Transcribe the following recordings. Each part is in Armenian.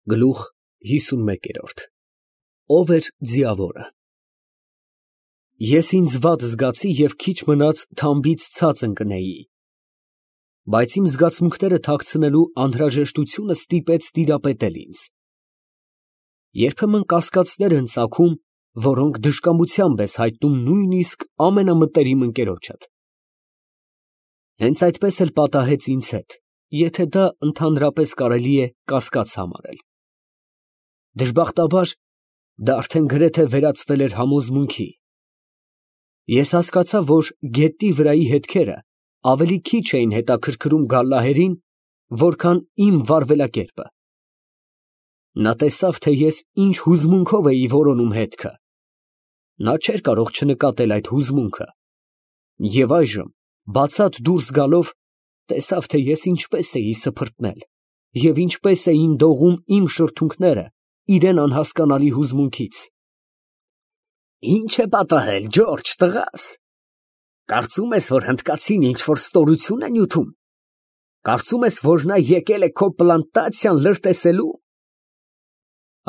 Գլուխ 51 Ո՞վ էր ձիավորը։ Ես ինձ վատ զգացի և քիչ մնաց թամբից ցած ընկնեի, բայց իմ զգացմունքները թաքցնելու անհրաժեշտությունը ստիպեց տիրապետել ինձ։ Երբեմն կասկածներ են ծագում, որոնք դժկամությամբ ես հայտնում նույնիսկ ամենամտերիմ ընկերոջդ։ Հենց այդպես էլ պատահեց ինձ հետ, եթե դա ընդհանրապես կարելի է կասկած համարել։ Դժբախտաբար, դա արդեն գրեթե վերածվել էր համոզմունքի։ Ես հասկացա, որ գետնի վրայի հետքերը ավելի քիչ էին հետաքրքրում Գալլահերին, որքան իմ վարվելակերպը։ Նա տեսավ, թե ես ինչ հուզմունքով էի որոնում հետքը։ Նա չէր կարող չնկատել այդ հուզմունքը, և այժմ, բացատ դուրս գալով, տեսավ, թե ես ինչպես էի սփռտնել և ինչպես էին դողում իմ շրթունքները իրան անհասկանալի հուզմունքից։ Ի՞նչ է պատահել, Ջորջ տղաս, կարծում ես, որ հնդկացին ինչ֊որ ստորություն է նյութում, կարծում ես, որ նա եկել է քո պլանտացիան լրտեսելու։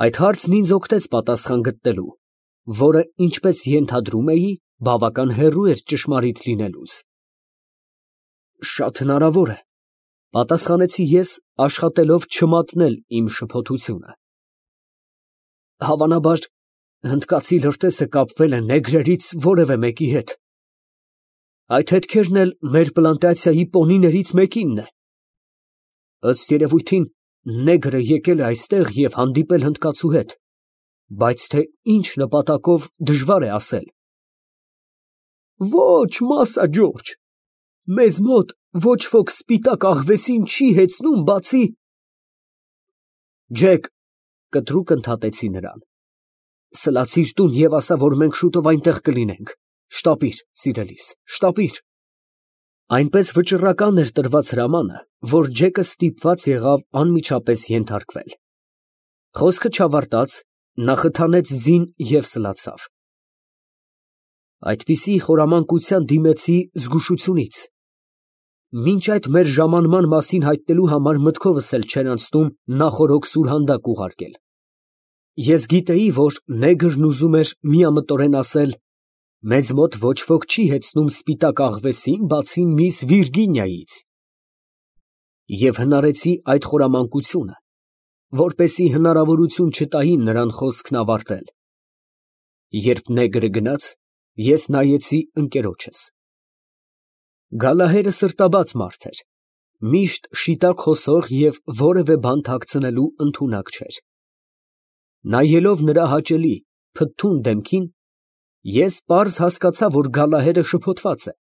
Այդ հարցն ինձ օգնեց պատասխան գտնելու, որը, ինչպես ենթադրում էի, բավական հեռու էր ճշմարիտ լինելուց։ Շատ հնարավոր է, պատասխանեցի ես, աշխատելով չմատնել իմ շփոթությունը։ Հավանաբար, հնդկացի լրտեսը կապվել է նեգրերից որևէ մեկի հետ։ Այդ հետքերն էլ մեր պլանտացիայի պոնիներից մեկինն է։ Ըստ երևույթին, նեգրը եկել է այստեղ և հանդիպել հնդկացու հետ, բայց թե ինչ նպատակով, դժվար է ասել։ Ոչ, Մասա Ջորջ, մեզ մոտ ոչ ոք սպիտակ աղվեսին չի հեծնում, բացի… Ջեկ, կտրուկ ընդհատեցի նրան, սլացիր տուն և ասա, որ մենք շուտով այնտեղ կլինենք, շտապիր, սիրելիս, շտապիր։ Այնպես վճռական էր տրված հրամանը, որ Ջեկը ստիպված եղավ անմիջապես ենթարկվել։ Խոսքը չավարտած, նա խթանեց ձին և սլացավ։ Այդպիսի խորամանկության դիմեցի զգուշությունից։ Մինչ այդ մեր ժամանման մասին հայտնելու համար մտքովս էլ չէր անցնում նախօրոք սուրհանդակ ուղարկել։ Ես գիտեի, որ նեգրն ուզում էր միամտորեն ասել. «Մեզ մոտ ոչ ոք չի հեծնում սպիտակ աղվեսին, բացի միս Վիրգինիայից», և հնարեցի այդ խորամանկությունը, որպեսզի հնարավորություն չտային նրան խոսքն ավարտել։ Երբ նեգրը գնաց, ես նայեցի ընկերոջս։ Գալլահերը սրտաբաց մարդ էր, միշտ շիտակ խոսող և որևէ բան թաքցնելու ընդունակ չէր։ Նայելով նրա հաճելի, փթթուն դեմքին, ես պարզ հասկացա, որ Գալլահերը շփոթված է,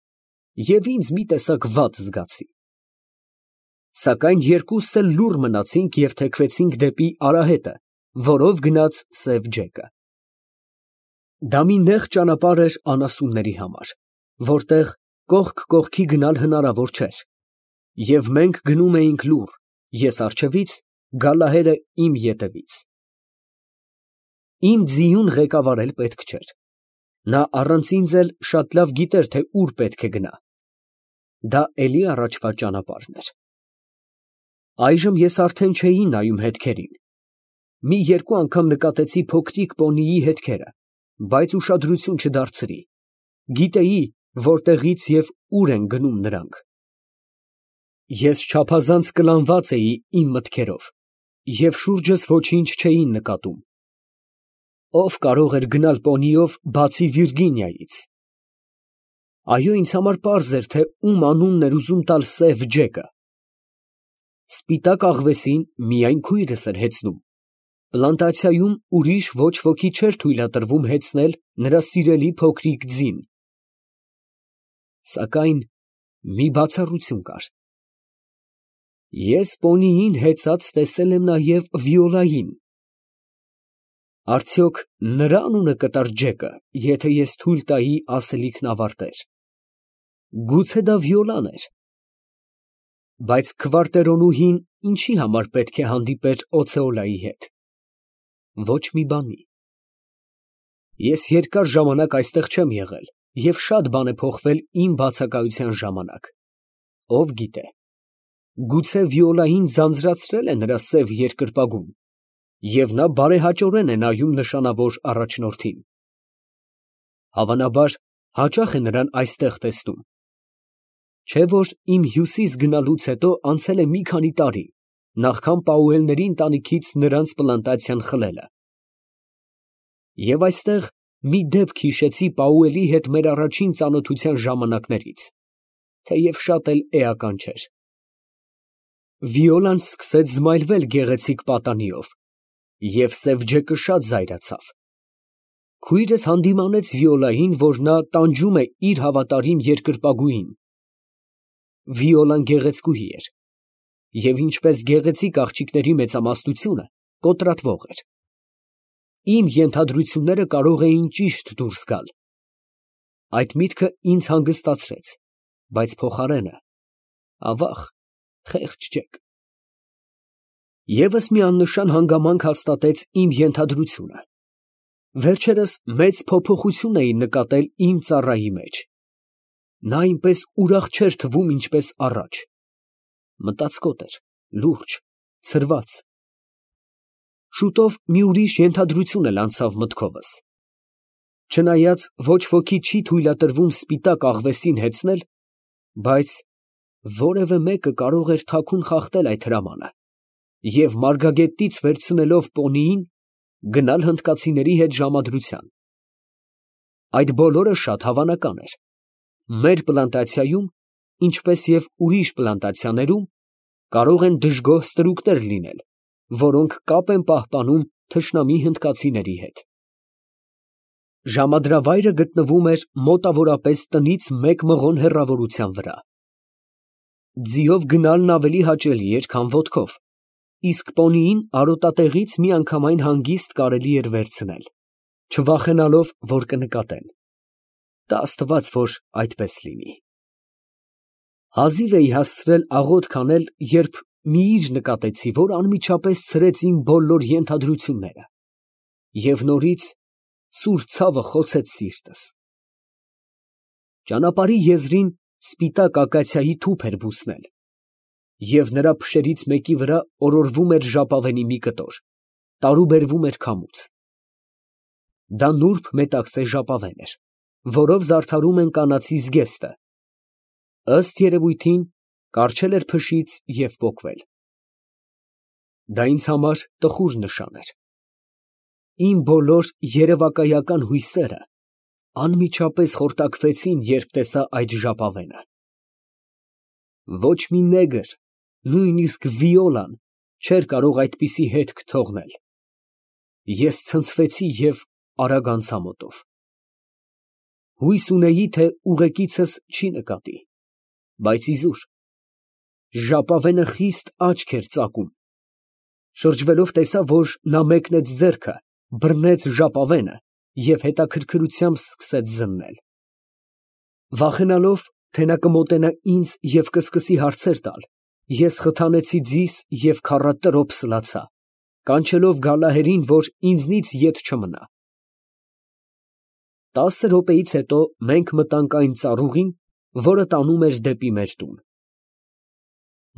և ինձ մի տեսակ վատ զգացի։ Սակայն երկուսս էլ լուռ մնացինք և թեքվեցինք դեպի արահետը, որով գնաց սև Ջեկը։ Դա մի նեղ ճանապարհ էր անասունների համար, որտեղ կողք կողքի գնալ հնարավոր չէր, և մենք գնում էինք լուռ, ես առջևից, Գալլահերը իմ ետևից։ Իմ ձիուն ղեկավարել պետք չէր։ Նա առանց ինձ էլ շատ լավ գիտեր, թե ուր պետք է գնա։ Դա էլի առաջվա ճանապարհն էր։ Այժմ ես արդեն չէի նայում հետքերին։ Մի երկու անգամ նկատեցի փոքրիկ պոնիի հետքերը, բայց ուշադրություն չդարձրի։ Գիտեի, որտեղից և ուր են գնում նրանք։ Ես չափազանց կլանված էի իմ մտքերով և շուրջս ոչինչ չէի նկատում։ Ո՞վ կարող էր գնալ պոնիով, բացի Վիրգինիայից։ Այո, ինձ համար պարզ էր, թե ում անունն էր ուզում տալ սև Ջեկը։ Սպիտակ աղվեսին միայն քույրս էր հեծնում, պլանտացիայում ուրիշ ոչ ոքի չէր թույլատրվում հեծնել նրա սիրելի փոքրիկ ձին։ Սակայն մի բացառություն կար։ Ես պոնիին հեծած տեսել եմ նաև Վիոլային։ Արդյոք նրա անունը կտար Ջեկը, եթե ես թույլ տայի ասելիքն ավարտեր։ Գուցե դա Վիոլան էր։ Բայց քվարտերոնուհին ինչի համար պետք է հանդիպեր Օցեոլայի հետ։ Ոչ մի բանի։ Ես երկար ժամանակ այստեղ չեմ եղել, և շատ բան է փոխվել իմ բացակայության ժամանակ։ Ով գիտե, գուցե Վիոլային ձանձրացրել է նրա սև երկրպագուն, Եվ նա բարեհաճորեն է նայում նշանավոր առաջնորդին։ Հավանաբար, հաճախ է նրան այստեղ տեսնում։ Չէ՞ որ իմ Հյուսիս գնալուց հետո անցել է մի քանի տարի, նախքան Պաուելների ընտանիքից նրանց պլանտացիան խլելը։ Եվ այստեղ մի դեպք հիշեցի Պաուելի հետ մեր առաջին ծանոթության ժամանակներից, թեև շատ էլ էական չէր։ Վիոլան սկսեց զմայլվել գեղեցիկ պատանիով, և սև ջեկը շատ զայրացավ։ Քույրս հանդիմանեց Վիոլային, որ նա տանջում է իր հավատարիմ երկրպագուին։ Վիոլան գեղեցկուհի էր, և ինչպես գեղեցիկ աղջիկների մեծամասնությունը, կոտրատվող էր։ Իմ ենթադրությունները կարող էին ճիշտ դուրս գալ։ Այդ միտքը ինձ հանգստացրեց, բայց փոխարենը, ավաղ, խեղճ ջեկ։ Եվս մի աննշան հանգամանք հաստատեց իմ ենթադրությունը։ Վերջերս մեծ փոփոխություն էի նկատել իմ ծառայի մեջ։ Նա այնպես ուրախ չէր թվում, ինչպես առաջ։ Մտածկոտ էր, լուրջ, ցրված։ Շուտով մի ուրիշ ենթադրություն էլ անցավ մտքովս։ Չնայած ոչ ոքի չի թույլատրվում սպիտակ աղվեսին հեծնել, բայց որևէ մեկը կարող էր թաքուն խախտել այդ հրամանը և մարգագետից վերցնելով պոնիին, գնալ հնդկացիների հետ ժամադրության։ Այդ բոլորը շատ հավանական էր։ Մեր պլանտացիայում, ինչպես և ուրիշ պլանտացիաներում, կարող են դժգոհ ստրուկներ լինել, որոնք կապ են պահպանում թշնամի հնդկացիների հետ։ Ժամադրավայրը գտնվում էր մոտավորապես տնից մեկ մղոն հեռավորության վրա։ Ձիով գնալն ավելի հաճելի էր, քան ոտքով, իսկ պոնիին արոտատեղից միանգամայն հանգիստ կարելի էր վերցնել, չվախենալով, որ կնկատեն։ Տա Աստված, որ այդպես լինի։ Հազիվ էի հասցրել աղոթք անել, երբ մի իր նկատեցի, որ անմիջապես ցրեց իմ բոլոր ենթադրությունները, և նորից սուր ցավը խոցեց սիրտս։ Ճանապարհի եզրին սպիտակ ակացիայի թուփ էր բուսնել, և նրա փշերից մեկի վրա օրորվում էր ժապավենի մի կտոր, տարուբերվում էր քամուց։ Դա նուրբ մետաքսե ժապավեն էր, որով զարդարում են կանացի զգեստը, ըստ երևույթին, կառչել էր փշից և պոկվել։ Դա ինձ համար տխուր նշան էր։ Իմ բոլոր երևակայական հույսերը անմիջապես խորտակվեցին, երբ տեսա այդ ժապավենը։ Ոչ մի նեգր, նույնիսկ Վիոլան, չէր կարող այդպիսի հետք թողնել։ Ես ցնցվեցի և արագ անցա մոտով։ Հույս ունեի, թե ուղեկիցս չի նկատի, բայց իզուր, ժապավենը խիստ աչք էր ծակում։ Շրջվելով տեսա, որ նա մեկնեց ձեռքը, բռնեց ժապավենը և հետաքրքրությամբ սկսեց զննել։ Վախենալով, թե նա կմոտենա ինձ և կսկսի հարցեր տալ, ես խթանեցի ձիս և քառատրոփ սլացա, կանչելով Գալահերին, որ ինձնից ետ չմնա։ 10 րոպեից հետո մենք մտանք այն ծառուղին, որը տանում էր դեպի մեր տուն։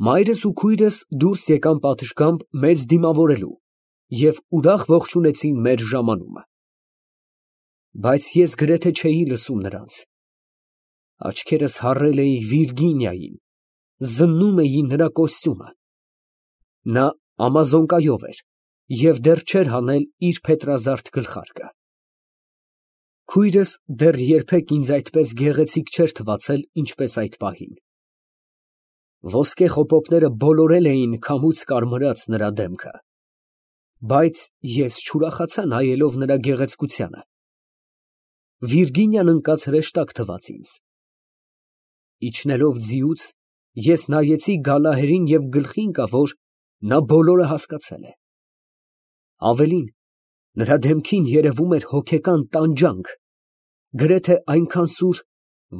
Մայրս ու քույրս դուրս եկան պատշգամբ մեզ դիմավորելու և ուրախ ողջունեցին մեր ժամանումը։ Բայց ես գրեթե չէի լսում նրանց։ Աչքերս հառել էի Վիրգինիային, զննում էի նրա կոստյումը։ Նա ամազոնկայով էր և դեռ չէր հանել իր փետրազարդ գլխարկը։ Քույրս դեռ երբեք ինձ այդպես գեղեցիկ չէր թվացել, ինչպես այդ պահին։ Ոսկե խոպոպները բոլորել էին քամուց կարմրած նրա դեմքը, բայց ես չուրախացա նայելով նրա գեղեցկությանը։ Վիրգինիան ընկած հրեշտակ թվաց ինձ։ Իջնելով ձիուց, ես նայեցի Գալահերին և գլխի ընկա, որ նա բոլորը հասկացել է։ Ավելին, նրա դեմքին երևում էր հոգեկան տանջանք, գրեթե այնքան սուր,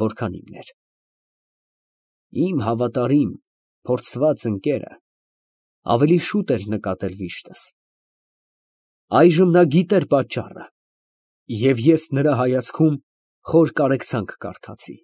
որքան իմն էր։ Իմ հավատարիմ, փորձված ընկերը ավելի շուտ էր նկատել վիշտս։ Այժմ նա գիտեր պատճառը, և ես նրա հայացքում խոր կարեկցանք կարդացի։